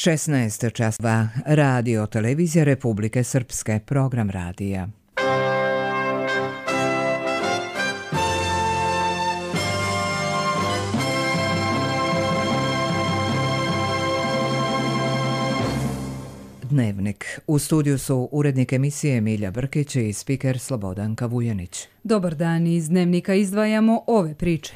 16 časova. Radio Televizija Republike Srpske. Program radija. Dnevnik. U studiju su urednik emisije Milja Brkić i spiker Slobodanka Vujanić. Dobar dan, iz Dnevnika izdvajamo ove priče.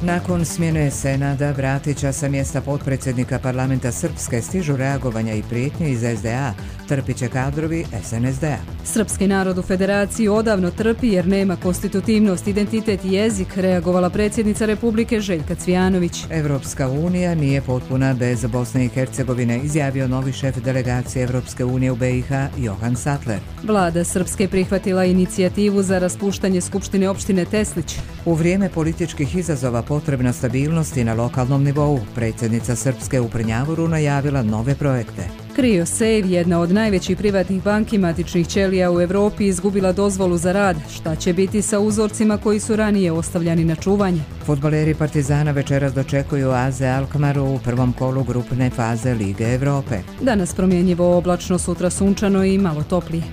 Nakon smjene Senada Bratića sa mjesta potpredsjednika parlamenta Srpske stižu reagovanja i prijetnje iz SDA, trpit će kadrovi SNSD-a. Srpski narod u Federaciji odavno trpi jer nema konstitutivnost, identitet i jezik, reagovala predsjednica Republike Željka Cvijanović. Evropska unija nije potpuna bez Bosne i Hercegovine, izjavio novi šef delegacije Evropske unije u BiH Johan Sattler. Vlada Srpske prihvatila inicijativu za raspuštanje Skupštine opštine Teslić. U vrijeme političkih izazova potrebna stabilnost i na lokalnom nivou, predsjednica Srpske u Prnjavoru najavila nove projekte. CryoSave, jedna od najvećih privatnih banki matičnih ćelija u Europi, izgubila dozvolu za rad. Šta će biti sa uzorcima koji su ranije ostavljani na čuvanje? Fudbaleri Partizana večeras dočekuju AZ Alkmaru u prvom kolu grupne faze Lige Europe. Danas promjenjivo oblačno, sutra sunčano i malo toplije.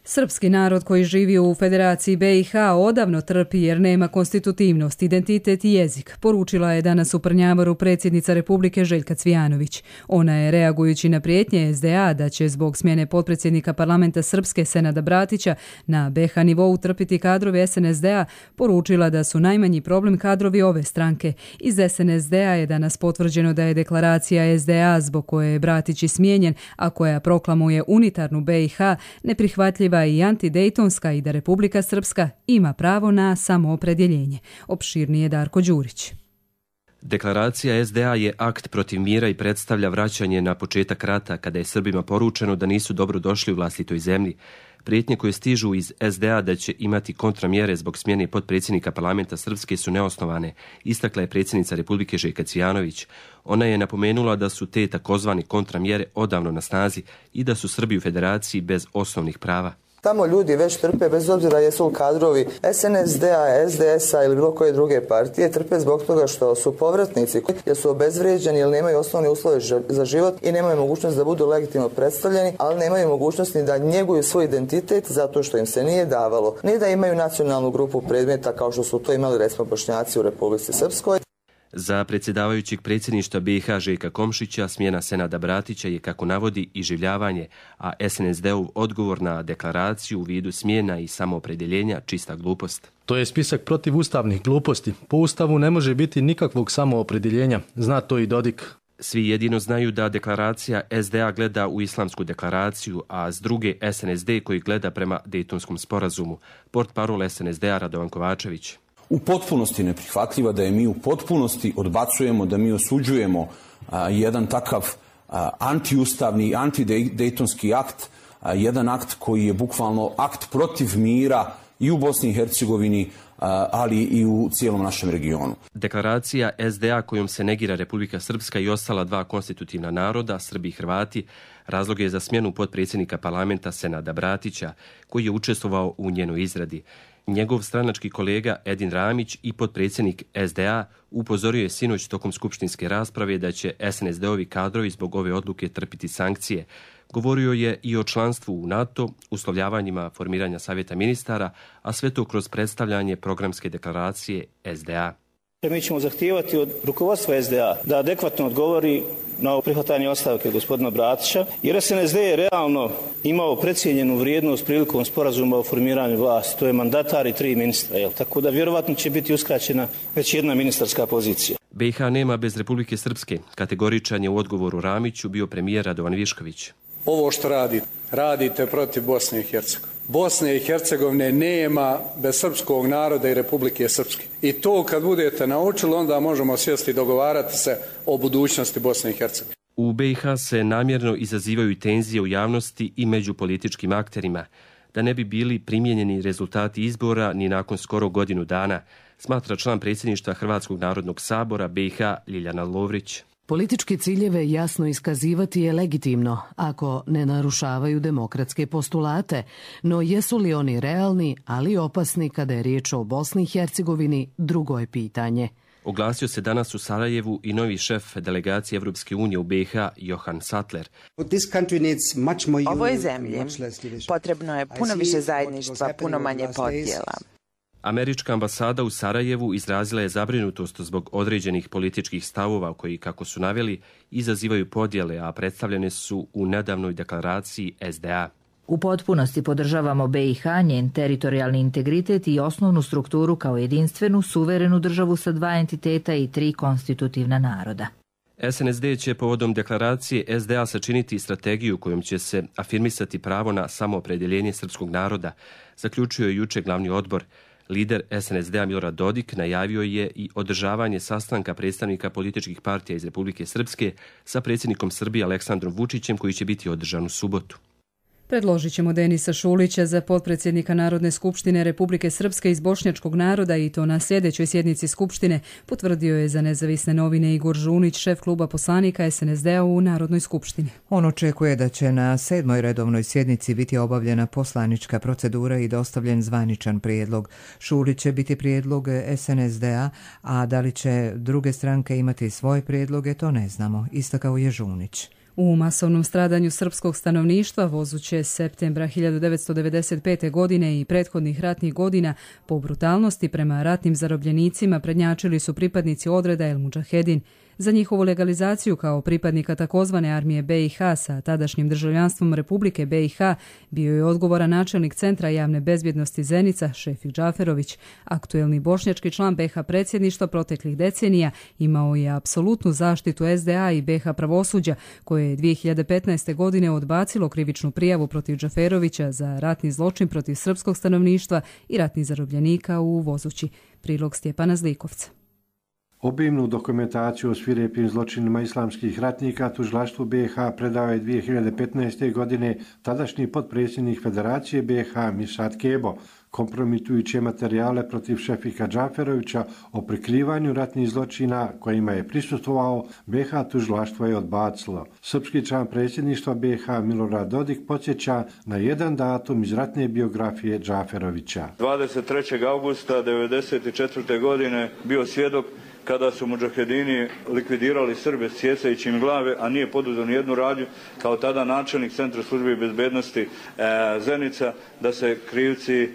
Srpski narod koji živi u Federaciji BiH odavno trpi jer nema konstitutivnost, identitet i jezik, poručila je danas u Prnjavoru predsjednica Republike Željka Cvijanović. Ona je, reagujući na prijetnje SDA da će zbog smjene potpredsjednika parlamenta Srpske Senada Bratića na BiH nivou trpiti kadrovi SNSD-a, poručila da su najmanji problem kadrovi ove stranke. Iz SNSD-a je danas potvrđeno da je deklaracija SDA zbog koje je Bratić i smijenjen, a koja proklamuje unitarnu BiH, neprihvatljiva i antidejtonska i da Republika Srpska ima pravo na samoopredjeljenje. Opširnije Darko Đurić. Deklaracija SDA je akt protiv mira i predstavlja vraćanje na početak rata kada je Srbima poručeno da nisu dobro došli u vlastitoj zemlji. Prijetnje koje stižu iz SDA da će imati kontramjere zbog smjene potpredsjednika parlamenta Srpske su neosnovane, istakla je predsjednica Republike Željka Cvijanović. Ona je napomenula da su te takozvane kontramjere odavno na snazi i da su Srbi u Federaciji bez osnovnih prava. Tamo ljudi već trpe, bez obzira jesu li kadrovi SNSD-a, SDS-a ili bilo koje druge partije, trpe zbog toga što su povratnici jer su obezvrijeđeni ili nemaju osnovne uslove za život i nemaju mogućnost da budu legitimno predstavljeni, ali nemaju mogućnost ni da njeguju svoj identitet zato što im se nije davalo, ni da imaju nacionalnu grupu predmeta kao što su to imali recimo Bošnjaci u Republici Srpskoj. Za predsjedavajućeg predsjedništva BiH Željka Komšića smjena Senada Bratića je, kako navodi, iživljavanje, a SNSD-ov odgovor na deklaraciju u vidu smjena i samoopredjeljenja čista glupost. To je spisak protivustavnih gluposti. Po Ustavu ne može biti nikakvog samoopredjeljenja. Zna to i Dodik. Svi jedino znaju da deklaracija SDA gleda u islamsku deklaraciju, a s druge SNSD koji gleda prema Dejtonskom sporazumu. Portparol SNSD-a Radovan Kovačević. U potpunosti neprihvatljiva, da je mi u potpunosti odbacujemo, da mi osuđujemo jedan takav antiustavni, antidejtonski akt, jedan akt koji je bukvalno akt protiv mira i u Bosni i Hercegovini, ali i u cijelom našem regionu. Deklaracija SDA kojom se negira Republika Srpska i ostala dva konstitutivna naroda, Srbi i Hrvati, razlog je za smjenu potpredsjednika parlamenta Senada Bratića, koji je učestvovao u njenoj izradi. Njegov stranački kolega Edin Ramić i potpredsjednik SDA upozorio je sinoć tokom skupštinske rasprave da će SNSD-ovi kadrovi zbog ove odluke trpiti sankcije. Govorio je i o članstvu u NATO, uslovljavanjima formiranja savjeta ministara, a sve to kroz predstavljanje programske deklaracije SDA. Mi ćemo zahtijevati od rukovodstva SDA da adekvatno odgovori na prihvatanje ostavke gospodina Bratića, jer SNSD je realno imao precijenjenu vrijednost prilikom sporazuma o formiranju vlasti. To je mandatar i 3 ministra, tako da vjerovatno će biti uskraćena već jedna ministarska pozicija. BiH nema bez Republike Srpske. Kategoričan je u odgovoru Ramiću bio premijer Radovan Višković. Ovo što radite protiv Bosne i Hercegovine. Bosne i Hercegovine nema bez srpskog naroda i Republike Srpske. I to kad budete naučili, onda možemo sjesti i dogovarati se o budućnosti Bosne i Hercegovine. U BiH se namjerno izazivaju tenzije u javnosti i među političkim akterima, da ne bi bili primijenjeni rezultati izbora ni nakon skoro godinu dana, smatra član predsjedništva Hrvatskog narodnog sabora BiH Ljiljana Lovrić. Političke ciljeve jasno iskazivati je legitimno ako ne narušavaju demokratske postulate, no jesu li oni realni, ali opasni kada je riječ o Bosni i Hercegovini, drugo je pitanje. Oglasio se danas u Sarajevu i novi šef delegacije Evropske unije u BiH, Johan Sattler. Ovoj zemlji potrebno je puno više zajedništva, puno manje podjela. Američka ambasada u Sarajevu izrazila je zabrinutost zbog određenih političkih stavova koji, kako su naveli, izazivaju podjele, a predstavljene su u nedavnoj deklaraciji SDA. U potpunosti podržavamo BiH, njen teritorijalni integritet i osnovnu strukturu kao jedinstvenu, suverenu državu sa 2 entiteta i 3 konstitutivna naroda. SNSD će povodom deklaracije SDA sačiniti strategiju kojom će se afirmisati pravo na samoopredjeljenje srpskog naroda, zaključio je juče glavni odbor. Lider SNSD-a Milorad Dodik najavio je i održavanje sastanka predstavnika političkih partija iz Republike Srpske sa predsjednikom Srbije Aleksandrom Vučićem, koji će biti održan u subotu. Predložit ćemo Denisa Šulića za potpredsjednika Narodne skupštine Republike Srpske iz bošnjačkog naroda i to na sljedećoj sjednici skupštine, potvrdio je za nezavisne novine Igor Žunić, šef kluba poslanika SNSD-a u Narodnoj skupštini. On očekuje da će na 7. redovnoj sjednici biti obavljena poslanička procedura i dostavljen zvaničan prijedlog. Šulić će biti prijedlog SNSD-a, a da li će druge stranke imati svoje prijedloge, to ne znamo, istakao je Žunić. U masovnom stradanju srpskog stanovništva vozuće septembra 1995. godine i prethodnih ratnih godina po brutalnosti prema ratnim zarobljenicima prednjačili su pripadnici odreda El Mudžahedin. Za njihovu legalizaciju kao pripadnika takozvane armije BiH sa tadašnjim državljanstvom Republike BiH bio je odgovoran načelnik Centra javne bezbjednosti Zenica, Šefik Džaferović. Aktuelni bošnjački član BiH predsjedništva proteklih decenija imao je apsolutnu zaštitu SDA i BiH pravosuđa, koje je 2015. godine odbacilo krivičnu prijavu protiv Džaferovića za ratni zločin protiv srpskog stanovništva i ratnih zarobljenika u Vozući. Prilog Stjepana Zlikovca. Obimnu dokumentaciju o svirepim zločinima islamskih ratnika tužilaštvu BiH predao je 2015. godine tadašnji potpredsjednik Federacije BiH Mirsad Kebo, kompromitujuće materijale protiv Šefika Džaferovića o prikrivanju ratnih zločina kojima je prisustvovao, BiH tužilaštvo je odbacilo. Srpski član predsjedništva BiH Milorad Dodik podsjeća na jedan datum iz ratne biografije Džaferovića. 23. augusta 1994. godine bio svjedok kada su mudžahedini likvidirali Srbe sjecajući im glave, a nije poduzeo nijednu radnju, kao tada načelnik Centra službe bezbednosti Zenica, da se krivci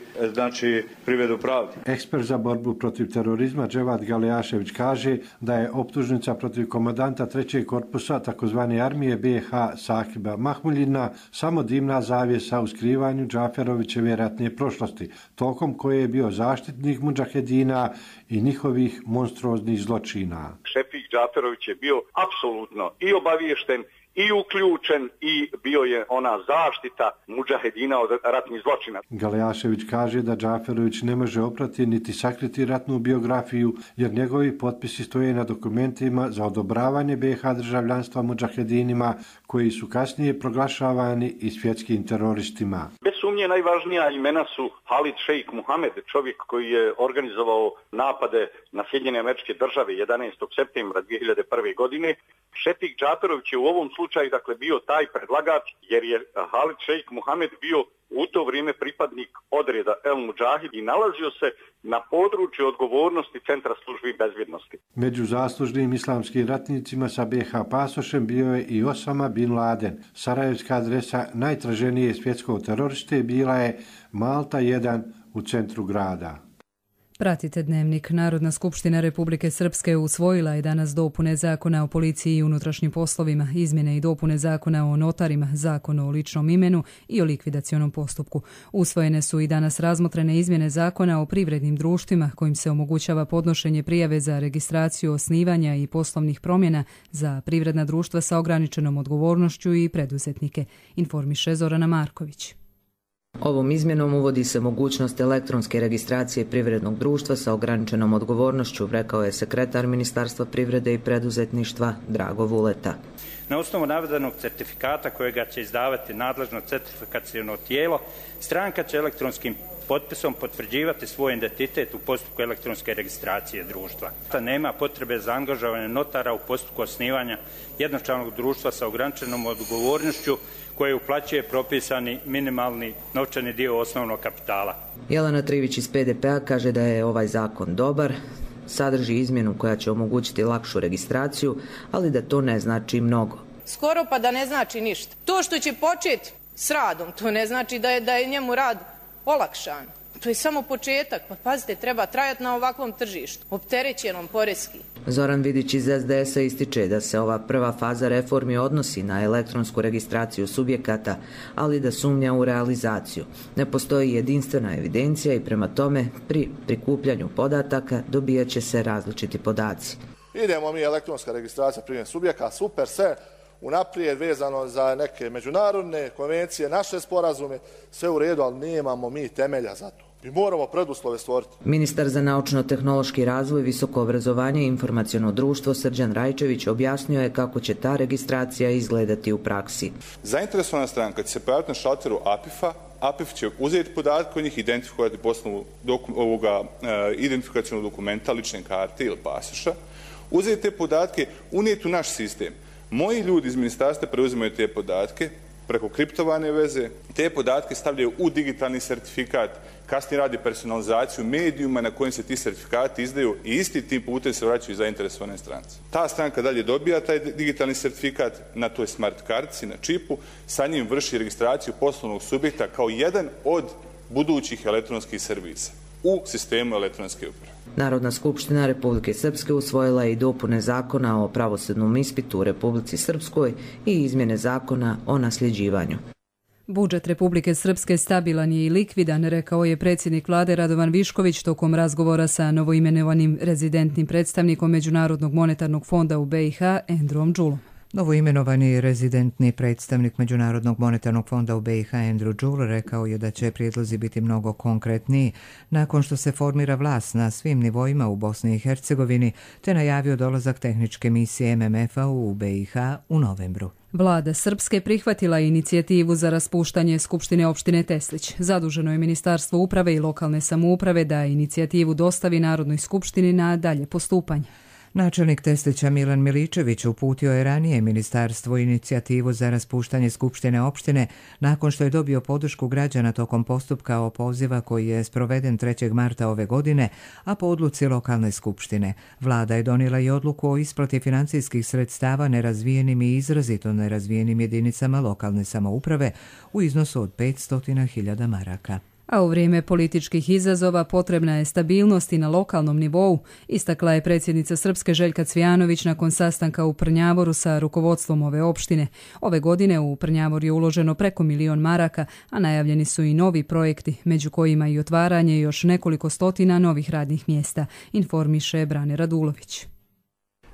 privedu pravdi. Ekspert za borbu protiv terorizma Dževad Galejašević kaže da je optužnica protiv komandanta 3. korpusa takozvane armije BiH Sahiba Mahmuljina samo dimna zavjesa u skrivanju Džaferovićeve ratne prošlosti, tokom koje je bio zaštitnik mudžahedina i njihovih monstruoznih zločina. Šefik Džaferović je bio apsolutno i obaviješten i uključen i bio je ona zaštita mudžahedina od ratnih zločina. Galejašević kaže da Džaferović ne može oprati niti sakriti ratnu biografiju, jer njegovi potpisi stoje na dokumentima za odobravanje BiH državljanstva mudžahedinima, koji su kasnije proglašavani i svjetskim teroristima. Bez sumnje najvažnija imena su Halid Šejk Muhamed, čovjek koji je organizovao napade na Sjedinjene Američke Države 11. septembra 2001. godine. Šefik Džaferović je u ovom slučaju bio taj predlagač, jer je Halid Šejk Muhamed bio u to vrijeme pripadnik odreda El Mudžahid i nalazio se na području odgovornosti Centra službi bezbjednosti. Među zaslužnim islamskim ratnicima sa BiH pasošem bio je i Osama bin Laden. Sarajevska adresa najtraženije svjetskog teroriste bila je Malta 1 u centru grada. Pratite Dnevnik. Narodna skupština Republike Srpske usvojila je danas dopune Zakona o policiji i unutrašnjim poslovima, izmjene i dopune Zakona o notarima, Zakon o ličnom imenu i o likvidacionom postupku. Usvojene su i danas razmotrene izmjene Zakona o privrednim društvima, kojim se omogućava podnošenje prijave za registraciju osnivanja i poslovnih promjena za privredna društva sa ograničenom odgovornošću i preduzetnike, informiše Zorana Marković. Ovom izmjenom uvodi se mogućnost elektronske registracije privrednog društva sa ograničenom odgovornošću, rekao je sekretar Ministarstva privrede i preduzetništva Drago Vuleta. Na osnovu navedenog certifikata kojega će izdavati nadležno certifikaciono tijelo, stranka će elektronskim potpisom potvrđivati svoj identitet u postupku elektronske registracije društva. Nema potrebe za angažovanje notara u postupku osnivanja jednočlanog društva sa ograničenom odgovornošću koje uplaćuje propisani minimalni novčani dio osnovnog kapitala. Jelena Trivić iz PDP-a kaže da je ovaj zakon dobar, sadrži izmjenu koja će omogućiti lakšu registraciju, ali da to ne znači mnogo. Skoro pa da ne znači ništa. To što će početi s radom, to ne znači da je njemu rad olakšan. To je samo početak. Pa pazite, treba trajati na ovakvom tržištu, opterećenom poreski. Zoran Vidić iz SDS-a ističe da se ova prva faza reformi odnosi na elektronsku registraciju subjekata, ali da sumnja u realizaciju. Ne postoji jedinstvena evidencija i prema tome pri prikupljanju podataka dobijat će se različiti podaci. Idemo mi elektronska registracija primjer subjekata, super, sve unaprijed vezano za neke međunarodne konvencije, naše sporazume, sve u redu, ali nemamo mi temelja za to. Mi moramo preduslove stvoriti. Ministar za naučno-tehnološki razvoj, visoko obrazovanje i informaciono društvo Srđan Rajčević objasnio je kako će ta registracija izgledati u praksi. Zainteresovana stranka će se pojaviti na šalteru APIF-a. APIF će uzeti podatke o njih, identifikovati po osnovu identifikacionog dokumenta, lične karte ili pasoša, uzeti te podatke, unijeti u naš sistem. Moji ljudi iz ministarstva preuzimaju te podatke preko kriptovane veze, te podatke stavljaju u digitalni sertifikat, kasnije radi personalizaciju medijuma na kojim se ti sertifikati izdaju i isti tim putem se vraćaju zainteresovane strance. Ta stranka dalje dobija taj digitalni sertifikat na toj smart kartici, na čipu, sa njim vrši registraciju poslovnog subjekta kao jedan od budućih elektronskih servisa u sistemu elektronske uprave. Narodna skupština Republike Srpske usvojila je i dopune zakona o pravosudnom ispitu u Republici Srpskoj i izmjene zakona o nasljeđivanju. Budžet Republike Srpske stabilan je i likvidan, rekao je predsjednik vlade Radovan Višković tokom razgovora sa novoimenovanim rezidentnim predstavnikom Međunarodnog monetarnog fonda u BiH, Andrewom Đulom. Novoimenovani rezidentni predstavnik Međunarodnog monetarnog fonda u BiH Andrew Đul rekao je da će prijedlozi biti mnogo konkretniji nakon što se formira vlast na svim nivoima u Bosni i Hercegovini, te najavio dolazak tehničke misije MMF-a u BiH u novembru. Vlada Srpske prihvatila inicijativu za raspuštanje Skupštine opštine Teslić. Zaduženo je Ministarstvo uprave i lokalne samouprave da inicijativu dostavi Narodnoj skupštini na dalje postupanje. Načelnik Teslića Milan Miličević uputio je ranije ministarstvu inicijativu za raspuštanje Skupštine opštine nakon što je dobio podršku građana tokom postupka opoziva koji je sproveden 3. marta ove godine, a po odluci lokalne skupštine. Vlada je donijela i odluku o isplati financijskih sredstava nerazvijenim i izrazito nerazvijenim jedinicama lokalne samouprave u iznosu od 500.000 maraka. A u vrijeme političkih izazova potrebna je stabilnost i na lokalnom nivou, istakla je predsjednica Srpske Željka Cvijanović nakon sastanka u Prnjavoru sa rukovodstvom ove opštine. Ove godine u Prnjavor je uloženo preko 1 milion maraka, a najavljeni su i novi projekti, među kojima i otvaranje još nekoliko stotina novih radnih mjesta, informiše Brane Radulović.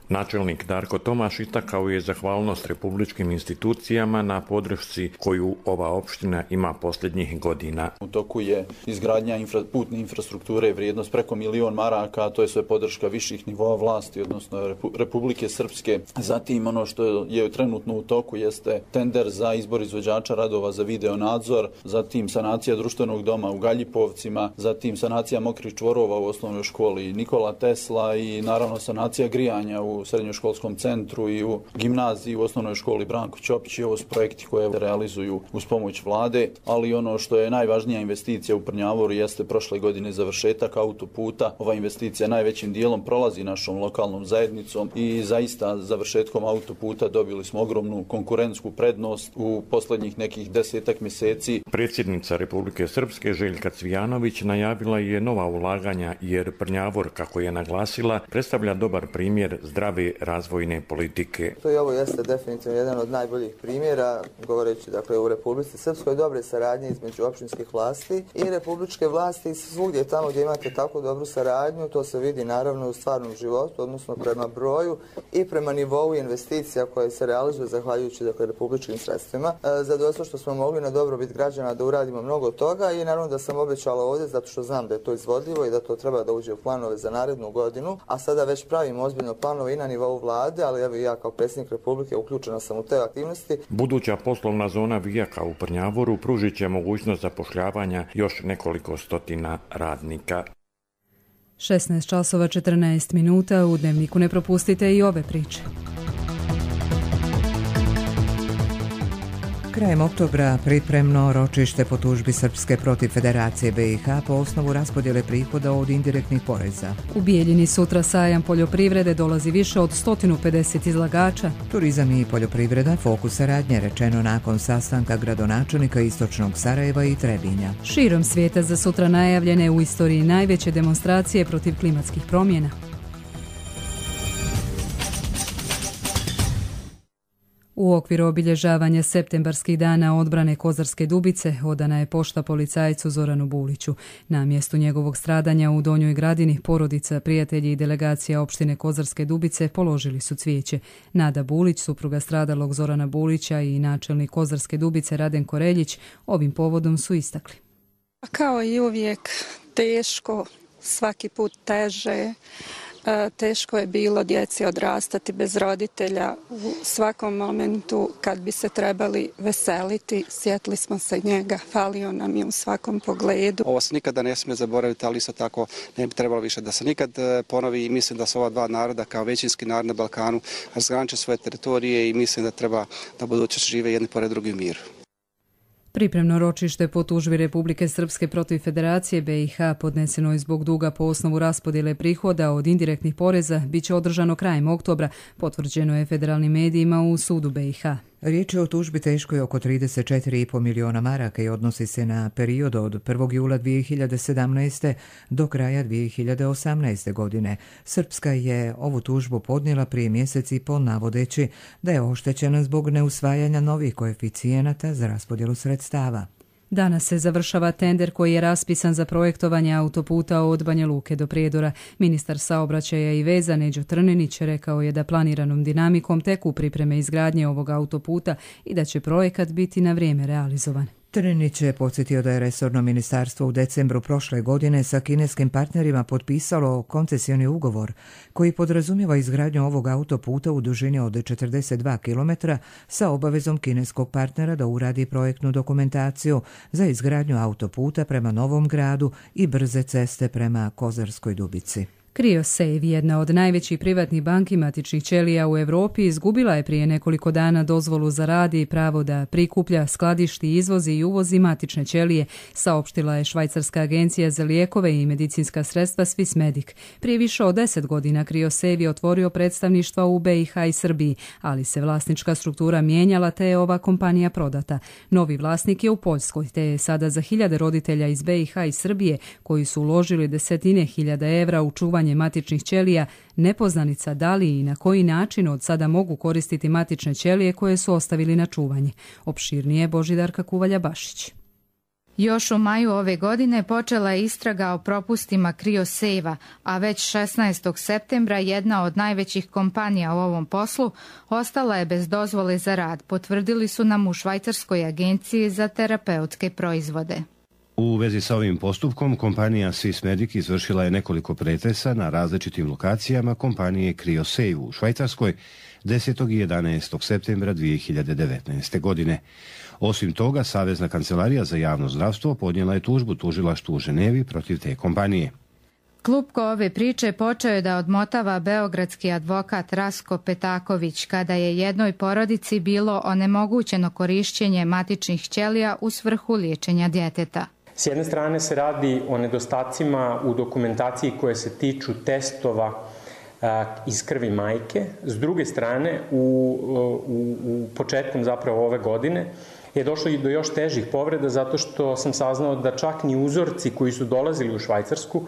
Načelnik Darko Tomaš istakao je zahvalnost republičkim institucijama na podršci koju ova opština ima posljednjih godina. U toku je izgradnja putne infrastrukture, vrijednost preko 1 milion maraka, a to je sve podrška viših nivoa vlasti, odnosno Republike Srpske. Zatim ono što je trenutno u toku jeste tender za izbor izvođača radova za video nadzor, zatim sanacija društvenog doma u Galjipovcima, zatim sanacija mokrih čvorova u osnovnoj školi Nikola Tesla i naravno sanacija grijanja u srednjoškolskom centru i u gimnaziji u osnovnoj školi Branko Ćopić. Ovo su projekti koje realizuju uz pomoć vlade, ali ono što je najvažnija investicija u Prnjavoru jeste prošle godine završetak autoputa. Ova investicija najvećim dijelom prolazi našom lokalnom zajednicom i zaista završetkom autoputa dobili smo ogromnu konkurentsku prednost u posljednjih nekih 10 mjeseci. Predsjednica Republike Srpske Željka Cvijanović najavila je nova ulaganja jer Prnjavor, kako je naglasila, predstavlja dobar primjer zdrave razvojne politike. To i ovo jeste definitivno jedan od najboljih primjera, govoreći dakle u Republici Srpskoj, dobre saradnje između općinskih vlasti i republičke vlasti i svugdje tamo gdje imate tako dobru saradnju, to se vidi naravno u stvarnom životu, odnosno prema broju i prema nivou investicija koje se realizuju zahvaljujući dakle republičkim sredstvima. Zadovoljstvo što smo mogli na dobrobit građana da uradimo mnogo toga i naravno da sam obećala ovdje zato što znam da je to izvodljivo i da to treba da uđe u planove za narednu godinu, a sada već pravimo ozbiljno planove i na nivou vlade, ali evo ja kao predsjednik Republike uključena sam u te aktivnosti. Buduća poslovna zona Vijaka u Prnjavoru pružit će mogućnost zapošljavanja još nekoliko stotina radnika. 16 časova 14 minuta, u Dnevniku ne propustite i ove priče. Krajem oktobra pripremno ročište po tužbi Srpske protiv Federacije BiH po osnovu raspodjele prihoda od indirektnih poreza. U Bijeljini sutra sajam poljoprivrede, dolazi više od 150 izlagača. Turizam i poljoprivreda fokus saradnje, rečeno nakon sastanka gradonačelnika Istočnog Sarajeva i Trebinja. Širom svijeta za sutra najavljene u istoriji najveće demonstracije protiv klimatskih promjena. U okviru obilježavanja septembarskih dana odbrane Kozarske Dubice odana je pošta policajcu Zoranu Buliću. Na mjestu njegovog stradanja u Donjoj Gradini porodica, prijatelji i delegacija opštine Kozarske Dubice položili su cvijeće. Nada Bulić, supruga stradalog Zorana Bulića, i načelnik Kozarske Dubice Raden Koreljić ovim povodom su istakli. Kao i uvijek teško, svaki put teže. Teško je bilo djeci odrastati bez roditelja. U svakom momentu kad bi se trebali veseliti, sjetili smo se njega, falio nam je u svakom pogledu. Ovo se nikada ne smije zaboraviti, ali isto tako ne bi trebalo više da se nikad ponovi, i mislim da su ova dva naroda kao većinski narod na Balkanu razgraniče svoje teritorije i mislim da treba da budućnost žive jedni pored drugi u miru. Pripremno ročište po tužbi Republike Srpske protiv Federacije BiH podneseno je zbog duga po osnovu raspodjele prihoda od indirektnih poreza bit će održano krajem oktobra, potvrđeno je federalnim medijima u sudu BiH. Riječ je o tužbi teškoj oko 34,5 miliona maraka i odnosi se na period od 1. jula 2017. do kraja 2018. godine. Srpska je ovu tužbu podnijela prije mjesec i pol navodeći da je oštećena zbog neusvajanja novih koeficijenata za raspodjelu sredstava. Danas se završava tender koji je raspisan za projektovanje autoputa od Banja Luke do Prijedora. Ministar saobraćaja i veza Neđo Trnenić rekao je da planiranom dinamikom teku pripreme izgradnje ovog autoputa i da će projekat biti na vrijeme realizovan. Trnenić je podsjetio da je resorno ministarstvo u decembru prošle godine sa kineskim partnerima potpisalo koncesioni ugovor koji podrazumijeva izgradnju ovog autoputa u dužini od 42 km sa obavezom kineskog partnera da uradi projektnu dokumentaciju za izgradnju autoputa prema Novom Gradu i brze ceste prema Kozarskoj Dubici. Criosave, jedna od najvećih privatnih banki matičnih ćelija u Europi, izgubila je prije nekoliko dana dozvolu za rad i pravo da prikuplja, skladišti, izvozi i uvozi matične ćelije, saopštila je Švajcarska agencija za lijekove i medicinska sredstva Swissmedic. Prije više od 10 godina Criosave je otvorio predstavništva u BiH i Srbiji, ali se vlasnička struktura mijenjala te je ova kompanija prodata. Novi vlasnik je u Poljskoj, te je sada za hiljade roditelja iz BiH i Srbije koji su uložili desetine hiljada evra u čuvanje matičnih ćelija nepoznanica da li i na koji način od sada mogu koristiti matične ćelije koje su ostavili na čuvanje. Opširnije Božidarka Kuvalja-Bašić. Još u maju ove godine počela je istraga o propustima Criosave-a, a već 16. septembra jedna od najvećih kompanija u ovom poslu ostala je bez dozvole za rad, potvrdili su nam u Švajcarskoj agenciji za terapeutske proizvode. U vezi sa ovim postupkom, kompanija Swissmedic izvršila je nekoliko pretresa na različitim lokacijama kompanije Criosave u Švajcarskoj 10. i 11. septembra 2019. godine. Osim toga, Savezna kancelarija za javno zdravstvo podnijela je tužbu tužilaštvu u Ženevi protiv te kompanije. Klupko ove priče počeo je da odmotava beogradski advokat Rasko Petaković kada je jednoj porodici bilo onemogućeno korišćenje matičnih ćelija u svrhu liječenja djeteta. S jedne strane se radi o nedostacima u dokumentaciji koje se tiču testova iz krvi majke. S druge strane, u početkom zapravo ove godine je došlo i do još težih povreda zato što sam saznao da čak ni uzorci koji su dolazili u Švajcarsku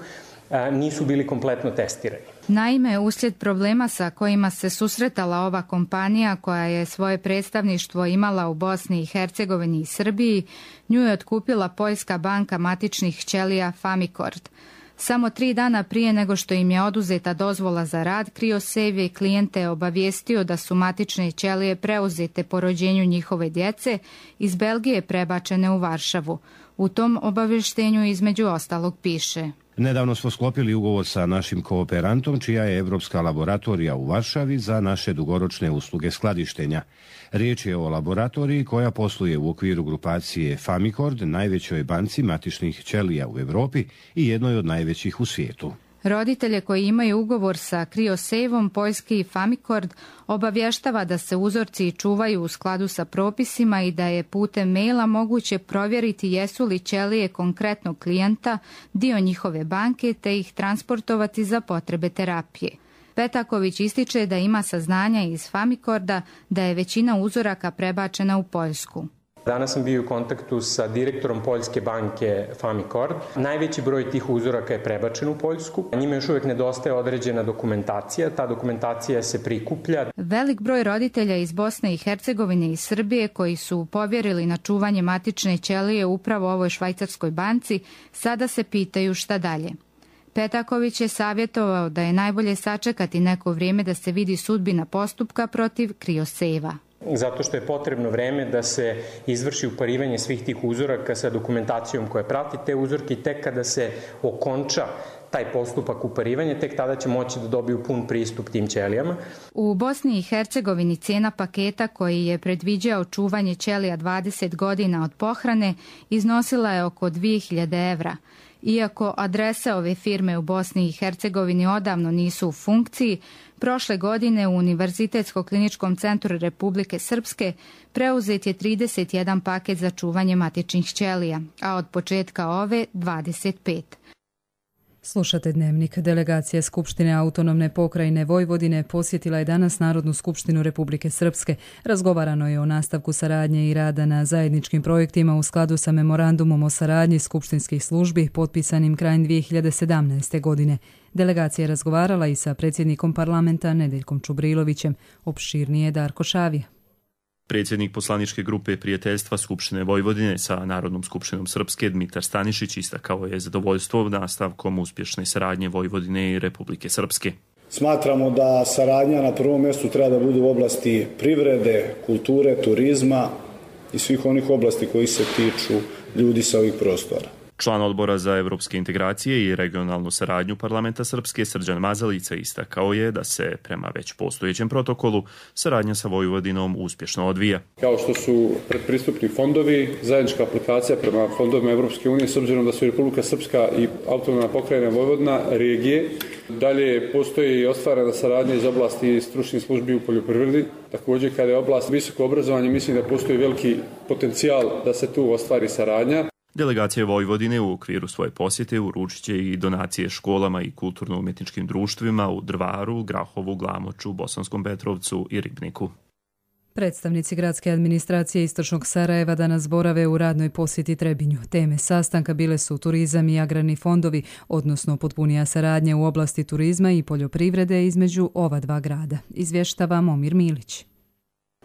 nisu bili kompletno testirani. Naime, uslijed problema sa kojima se susretala ova kompanija koja je svoje predstavništvo imala u Bosni i Hercegovini i Srbiji, nju je otkupila poljska banka matičnih ćelija Famicort. Samo 3 dana prije nego što im je oduzeta dozvola za rad, Criosave je klijente obavijestio da su matične ćelije preuzete po rođenju njihove djece iz Belgije prebačene u Varšavu. U tom obavještenju između ostalog piše: Nedavno smo sklopili ugovor sa našim kooperantom, čija je Evropska laboratorija u Varšavi za naše dugoročne usluge skladištenja. Riječ je o laboratoriji koja posluje u okviru grupacije Famicord, najvećoj banci matičnih ćelija u Europi i jednoj od najvećih u svijetu. Roditelje koji imaju ugovor sa CryoSave-om, poljski Famicord obavještava da se uzorci čuvaju u skladu sa propisima i da je putem maila moguće provjeriti jesu li ćelije konkretnog klijenta dio njihove banke te ih transportovati za potrebe terapije. Petaković ističe da ima saznanja iz Famicorda da je većina uzoraka prebačena u Poljsku. Danas sam bio u kontaktu sa direktorom Poljske banke Famicord. Najveći broj tih uzoraka je prebačen u Poljsku. Njima još uvijek nedostaje određena dokumentacija. Ta dokumentacija se prikuplja. Velik broj roditelja iz Bosne i Hercegovine i Srbije koji su povjerili na čuvanje matične ćelije upravo ovoj švajcarskoj banci sada se pitaju šta dalje. Petaković je savjetovao da je najbolje sačekati neko vrijeme da se vidi sudbina postupka protiv CryoSave-a. Zato što je potrebno vreme da se izvrši uparivanje svih tih uzoraka sa dokumentacijom koja prati te uzorke i tek kada se okonča taj postupak uparivanja, tek tada će moći da dobiju pun pristup tim ćelijama. U Bosni i Hercegovini cijena paketa koji je predviđao čuvanje ćelija 20 godina od pohrane iznosila je oko 2000 evra. Iako adrese ove firme u Bosni i Hercegovini odavno nisu u funkciji, prošle godine u Univerzitetsko-kliničkom centru Republike Srpske preuzet je 31 paket za čuvanje matičnih ćelija, a od početka ove 25. Slušate Dnevnik. Delegacija Skupštine autonomne pokrajine Vojvodine posjetila je danas Narodnu skupštinu Republike Srpske. Razgovarano je o nastavku saradnje i rada na zajedničkim projektima u skladu sa memorandumom o saradnji skupštinskih službi potpisanim krajem 2017. godine. Delegacija je razgovarala i sa predsjednikom parlamenta Nedeljkom Čubrilovićem. Opširnije Darko Šavija. Predsjednik poslaničke grupe prijateljstva Skupštine Vojvodine sa Narodnom skupštinom Srpske Dmitar Stanišić istakao je zadovoljstvo nastavkom uspješne saradnje Vojvodine i Republike Srpske. Smatramo da saradnja na prvom mjestu treba da bude u oblasti privrede, kulture, turizma i svih onih oblasti koji se tiču ljudi sa ovih prostora. Član odbora za evropske integracije i regionalnu saradnju parlamenta Srpske Srđan Mazalica istakao je da se prema već postojećem protokolu saradnja sa Vojvodinom uspješno odvija. Kao što su predpristupni fondovi, zajednička aplikacija prema fondovima Evropske unije, s obzirom da su Republika Srpska i autonomna pokrajina Vojvodina regije. Dalje postoji i ostvarena saradnja iz oblasti stručnih službi u poljoprivredi. Također kada je oblast visoko obrazovanje, mislim da postoji veliki potencijal da se tu ostvari saradnja. Delegacija Vojvodine u okviru svoje posjete uručit će i donacije školama i kulturno-umjetničkim društvima u Drvaru, Grahovu, Glamoču, Bosanskom Petrovcu i Ribniku. Predstavnici gradske administracije Istočnog Sarajeva danas borave u radnoj posjeti Trebinju. Teme sastanka bile su turizam i agrarni fondovi, odnosno potpunija saradnja u oblasti turizma i poljoprivrede između ova dva grada. Izvještava Momir Milić.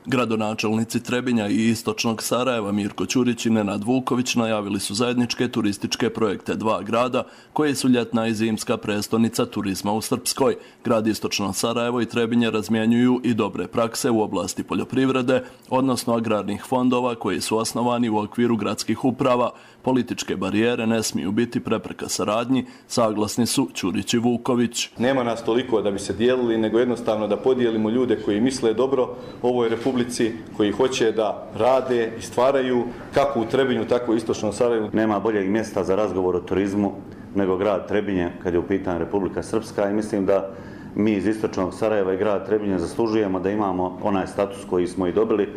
Gradonačelnici Trebinja i Istočnog Sarajeva Mirko Ćurić i Nenad Vuković najavili su zajedničke turističke projekte dva grada koje su ljetna i zimska prestonica turizma u Srpskoj. Grad Istočno Sarajevo i Trebinje razmjenjuju i dobre prakse u oblasti poljoprivrede, odnosno agrarnih fondova koji su osnovani u okviru gradskih uprava. Političke barijere ne smiju biti prepreka saradnji, saglasni su Ćurić i Vuković. Nema nas toliko da bi se dijelili, nego jednostavno da podijelimo ljude koji misle dobro ovoj Republici, koji hoće da rade i stvaraju kako u Trebinju, tako i Istočnom Sarajevu. Nema boljeg mjesta za razgovor o turizmu nego grad Trebinje kad je u pitanju Republika Srpska i mislim da mi iz Istočnog Sarajeva i grad Trebinje zaslužujemo da imamo onaj status koji smo i dobili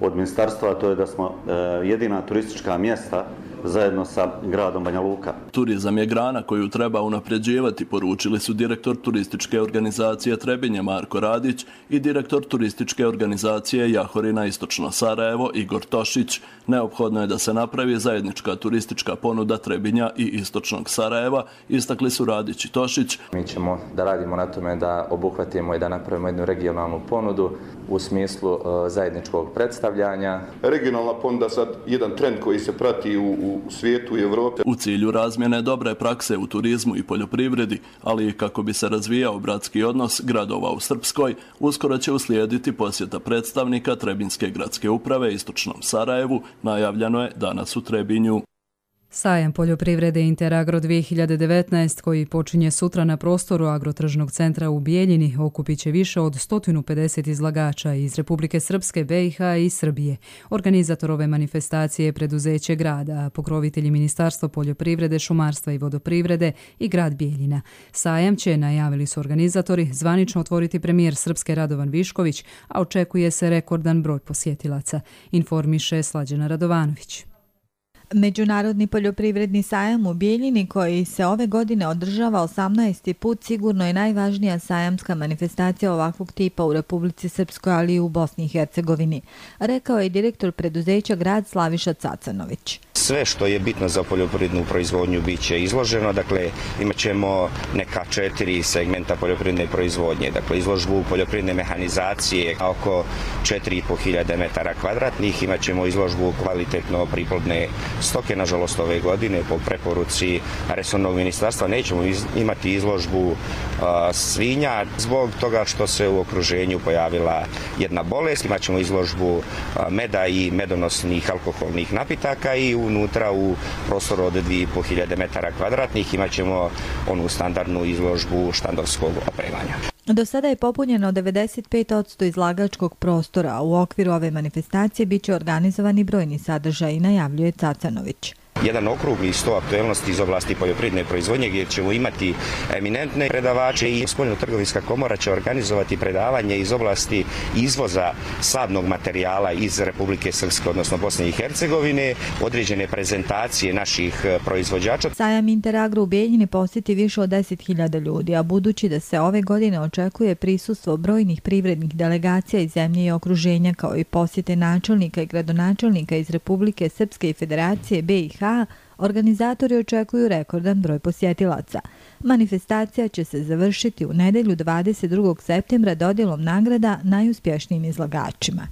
od ministarstva, a to je da smo jedina turistička mjesta zajedno sa gradom Banja Luka. Turizam je grana koju treba unapređivati, poručili su direktor turističke organizacije Trebinje Marko Radić i direktor turističke organizacije Jahorina Istočno Sarajevo Igor Tošić. Neophodno je da se napravi zajednička turistička ponuda Trebinja i Istočnog Sarajeva, istakli su Radić i Tošić. Mi ćemo da radimo na tome da obuhvatimo i da napravimo jednu regionalnu ponudu u smislu zajedničkog predstavljanja. Regionalna ponuda sad jedan trend koji se prati u svijetu i Evropi. U cilju razmjene dobre prakse u turizmu i poljoprivredi, ali i kako bi se razvijao bratski odnos gradova u Srpskoj, uskoro će uslijediti posjeta predstavnika Trebinjske gradske uprave Istočnom Sarajevu, najavljeno je danas u Trebinju. Sajam poljoprivrede Interagro 2019 koji počinje sutra na prostoru Agrotržnog centra u Bijeljini okupit će više od 150 izlagača iz Republike Srpske, BiH i Srbije. Organizator ove manifestacije je preduzeće grada, a pokrovitelji Ministarstvo poljoprivrede, šumarstva i vodoprivrede i grad Bijeljina. Sajam će, najavili su organizatori, zvanično otvoriti premijer Srpske Radovan Višković, a očekuje se rekordan broj posjetilaca, informiše Slađana Radovanović. Međunarodni poljoprivredni sajam u Bijeljini koji se ove godine održava 18. put sigurno je najvažnija sajamska manifestacija ovakvog tipa u Republici Srpskoj, ali i u Bosni i Hercegovini, rekao je direktor preduzeća grad Slaviša Cacanović. Sve što je bitno za poljoprivrednu proizvodnju bit će izloženo, dakle imat ćemo neka 4 segmenta poljoprivredne proizvodnje, dakle izložbu poljoprivredne mehanizacije oko 4.500 metara kvadratnih, imat ćemo izložbu kvalitetno priplodne stoke, nažalost ove godine po preporuci resornog ministarstva nećemo imati izložbu svinja zbog toga što se u okruženju pojavila jedna bolest, imat ćemo izložbu meda i medonosnih alkoholnih napitaka i unutra u prostoru od 2.500 metara kvadratnih imat ćemo onu standardnu izložbu štandovskog opremanja. Do sada je popunjeno 95% izlagačkog prostora, a u okviru ove manifestacije bit će organizovani brojni sadržaji, najavljuje Cacanović. Jedan okrugli sto aktuelnosti iz oblasti poljoprivredne proizvodnje gdje ćemo imati eminentne predavače i Spoljno-trgovinska komora će organizovati predavanje iz oblasti izvoza sadnog materijala iz Republike Srpske, odnosno Bosne i Hercegovine, određene prezentacije naših proizvođača. Sajam Interagro u Bijeljini posjeti više od 10.000 ljudi, a budući da se ove godine očekuje prisustvo brojnih privrednih delegacija iz zemlje i okruženja kao i posjete načelnika i gradonačelnika iz Republike Srpske i Federacije BiH, organizatori očekuju rekordan broj posjetilaca. Manifestacija će se završiti u nedjelju 22. septembra dodjelom nagrada najuspješnijim izlagačima.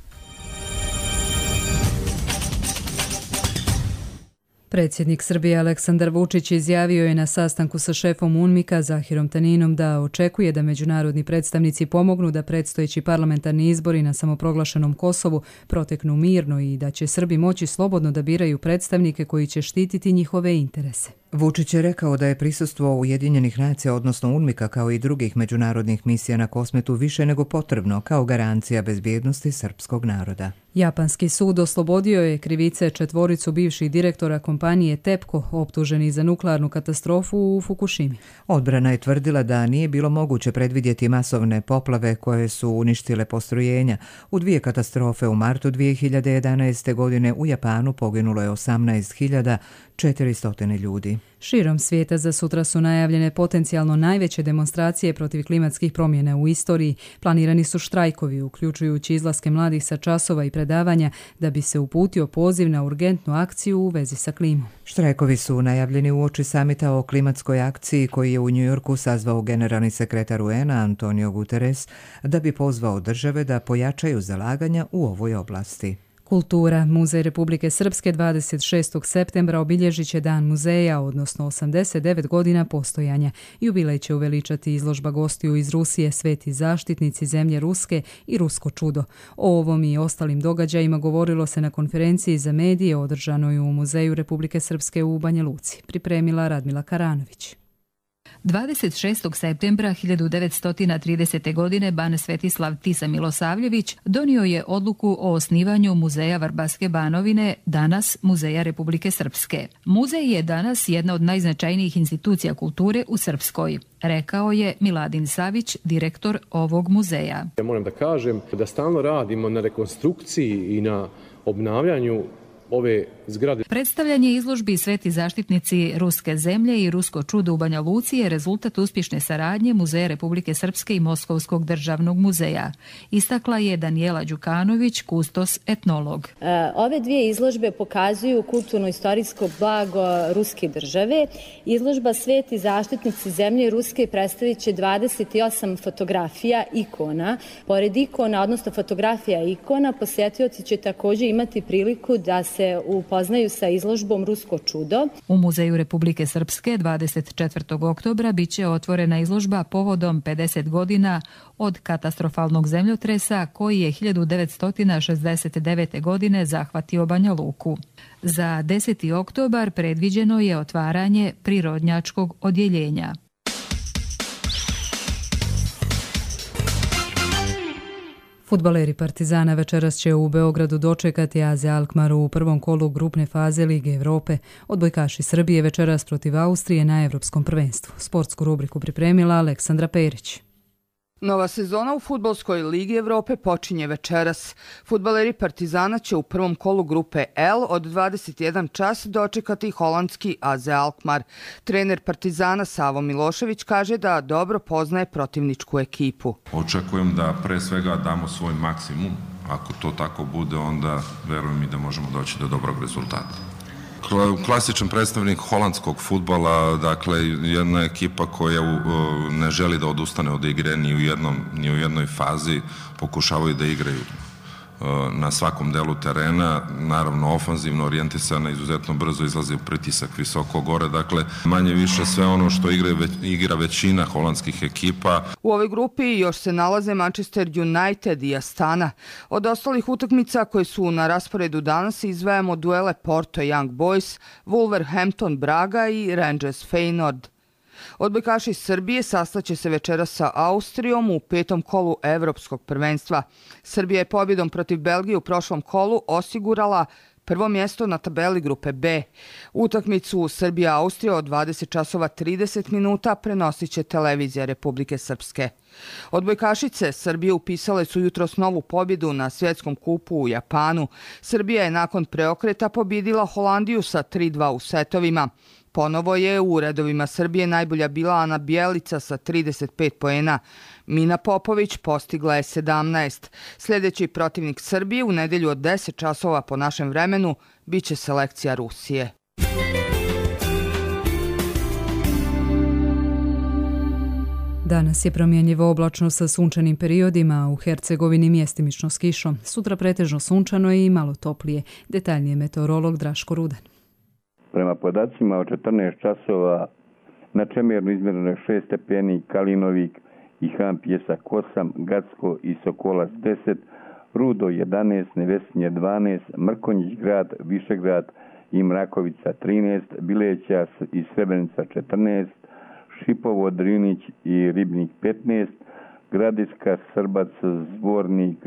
Predsjednik Srbije Aleksandar Vučić izjavio je na sastanku sa šefom UNMIK-a Zahirom Taninom da očekuje da međunarodni predstavnici pomognu da predstojeći parlamentarni izbori na samoproglašenom Kosovu proteknu mirno i da će Srbi moći slobodno da biraju predstavnike koji će štititi njihove interese. Vučić je rekao da je prisustvo Ujedinjenih nacija, odnosno UNMIK-a kao i drugih međunarodnih misija na Kosmetu više nego potrebno kao garancija bezbjednosti srpskog naroda. Japanski sud oslobodio je krivice 4 bivših direktora kompanije TEPCO optuženi za nuklearnu katastrofu u Fukushimi. Odbrana je tvrdila da nije bilo moguće predvidjeti masovne poplave koje su uništile postrojenja. U 2 katastrofe u martu 2011. godine u Japanu poginulo je 18.400 ljudi. Širom svijeta za sutra su najavljene potencijalno najveće demonstracije protiv klimatskih promjena u istoriji. Planirani su štrajkovi, uključujući izlaske mladih sa časova i predavanja, da bi se uputio poziv na urgentnu akciju u vezi sa klimom. Štrajkovi su najavljeni uoči samita o klimatskoj akciji koji je u Njujorku sazvao generalni sekretar UN-a Antonio Guterres da bi pozvao države da pojačaju zalaganja u ovoj oblasti. Kultura. Muzej Republike Srpske 26. septembra obilježit će Dan muzeja, odnosno 89 godina postojanja. Jubilej će uveličati izložba gostiju iz Rusije, Sveti zaštitnici zemlje Ruske i Rusko čudo. O ovom i ostalim događajima govorilo se na konferenciji za medije održanoj u Muzeju Republike Srpske u Banja Luci. Pripremila Radmila Karanović. 26. septembra 1930. godine ban Svetislav Tisa Milosavljević donio je odluku o osnivanju Muzeja Vrbaske Banovine, danas Muzeja Republike Srpske. Muzej je danas jedna od najznačajnijih institucija kulture u Srpskoj, rekao je Miladin Savić, direktor ovog muzeja. Ja moram da kažem da stalno radimo na rekonstrukciji i na obnavljanju ove zgrade. Predstavljanje izložbi Sveti zaštitnici Ruske zemlje i Rusko čudo u Banja Luci je rezultat uspješne saradnje Muzeja Republike Srpske i Moskovskog državnog muzeja. Istakla je Danijela Đukanović, kustos etnolog. Ove 2 izložbe pokazuju kulturno-istorijsko blago ruske države. Izložba Sveti zaštitnici zemlje Ruske predstavit će 28 fotografija ikona. Pored ikona, odnosno fotografija ikona, posjetioci će također imati priliku da se se upoznaju sa izložbom Rusko čudo. U Muzeju Republike Srpske 24. oktobra biće otvorena izložba povodom 50 godina od katastrofalnog zemljotresa koji je 1969. godine zahvatio Banja Luku. Za 10. oktobar predviđeno je otvaranje prirodnjačkog odjeljenja. Fudbaleri Partizana večeras će u Beogradu dočekati AZ Alkmaar u prvom kolu grupne faze Lige Evrope. Odbojkaši Srbije večeras protiv Austrije na Evropskom prvenstvu. Sportsku rubriku pripremila Aleksandra Perić. Nova sezona u Fudbalskoj Ligi Evrope počinje večeras. Fudbaleri Partizana će u prvom kolu grupe L od 21 čas dočekati holandski AZ Alkmaar. Trener Partizana Savo Milošević kaže da dobro poznaje protivničku ekipu. Očekujem da pre svega damo svoj maksimum. Ako to tako bude, onda verujem i da možemo doći do dobrog rezultata. Klasičan predstavnik holandskog fudbala, dakle jedna ekipa koja ne želi da odustane od igre ni u jednoj fazi, pokušavaju da igraju na svakom delu terena, naravno ofanzivno orijentisana, izuzetno brzo izlazi u pritisak visoko gore, dakle manje više sve ono što igra većina holandskih ekipa. U ovoj grupi još se nalaze Manchester United i Astana. Od ostalih utakmica koje su na rasporedu danas izdvajamo duele Porto Young Boys, Wolverhampton Braga i Rangers Feyenoord. Odbojkaši Srbije sastaće se večeras sa Austrijom u petom kolu Evropskog prvenstva. Srbija je pobjedom protiv Belgije u prošlom kolu osigurala prvo mjesto na tabeli grupe B. Utakmicu Srbija-Austrija od 20 časova 30 minuta prenosit će televizija Republike Srpske. Odbojkašice Srbije upisale su jutros novu pobjedu na svjetskom kupu u Japanu. Srbija je nakon preokreta pobjedila Holandiju sa 3-2 u setovima. Ponovo je u redovima Srbije najbolja bila Ana Bjelica sa 35 poena. Mina Popović postigla je 17. Sljedeći protivnik Srbije u nedjelju od 10 časova po našem vremenu biće selekcija Rusije. Danas je promjenjivo oblačno sa sunčanim periodima, u Hercegovini mjestimično s kišom. Sutra pretežno sunčano i malo toplije. Detaljnije meteorolog Draško Rudan. Prema podacima od 14 časova na Čemernu izmjereno je 6 stepeni, Kalinovik i Han Pjesak 8, Gacko i Sokolac 10, Rudo 11, Nevesinje 12, Mrkonjić grad, Višegrad i Mrakovica 13, Bileća i Srebrenica 14, Šipovo, Drinić i Ribnik 15, Gradiška, Srbac, Zvornik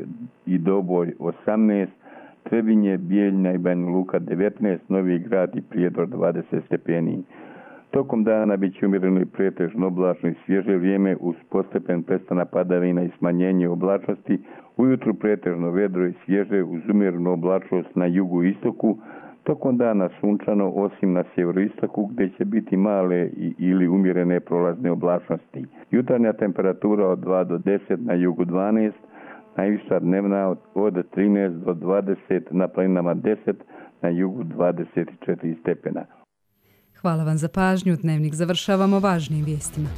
i Doboj 18, Trebinje, Bijeljna i Banja Luka 19, Novi Grad i Prijedor 20 stepeni. Tokom dana bit će umjereno i pretežno oblačno i svježe vrijeme uz postepen prestanak padavina i smanjenje oblačnosti. Ujutru pretežno vedro i svježe uz umjerenu oblačnost na jugu i istoku. Tokom dana sunčano osim na sjeveroistoku gdje će biti male ili umjerene prolazne oblačnosti. Jutarnja temperatura od 2 do 10, na jugu 12, najviša dnevna od 13 do 20, na planinama 10, na jugu 24 stepena. Hvala vam za pažnju. Dnevnik završavamo važnim vijestima.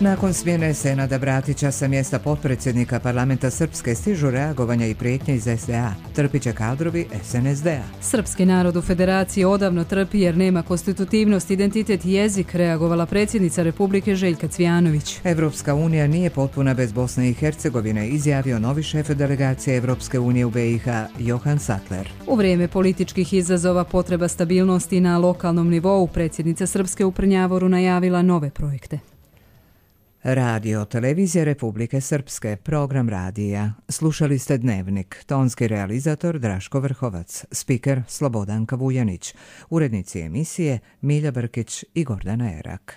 Nakon smjene Senada Bratića sa mjesta potpredsjednika parlamenta Srpske stižu reagovanja i prijetnje iz SDA. Trpit će kadrovi SNSD-a. Srpski narod u Federaciji odavno trpi jer nema konstitutivnost, identitet i jezik, reagovala predsjednica Republike Željka Cvijanović. Evropska unija nije potpuna bez Bosne i Hercegovine, izjavio novi šef delegacije Evropske unije u BiH Johan Sattler. U vrijeme političkih izazova potreba stabilnosti na lokalnom nivou predsjednica Srpske u Prnjavoru najavila nove projekte. Radio Televizija Republike Srpske, program radija. Slušali ste Dnevnik, tonski realizator Draško Vrhovac, spiker Slobodanka Vujanić, urednici emisije Milja Brkić i Gordana Erak.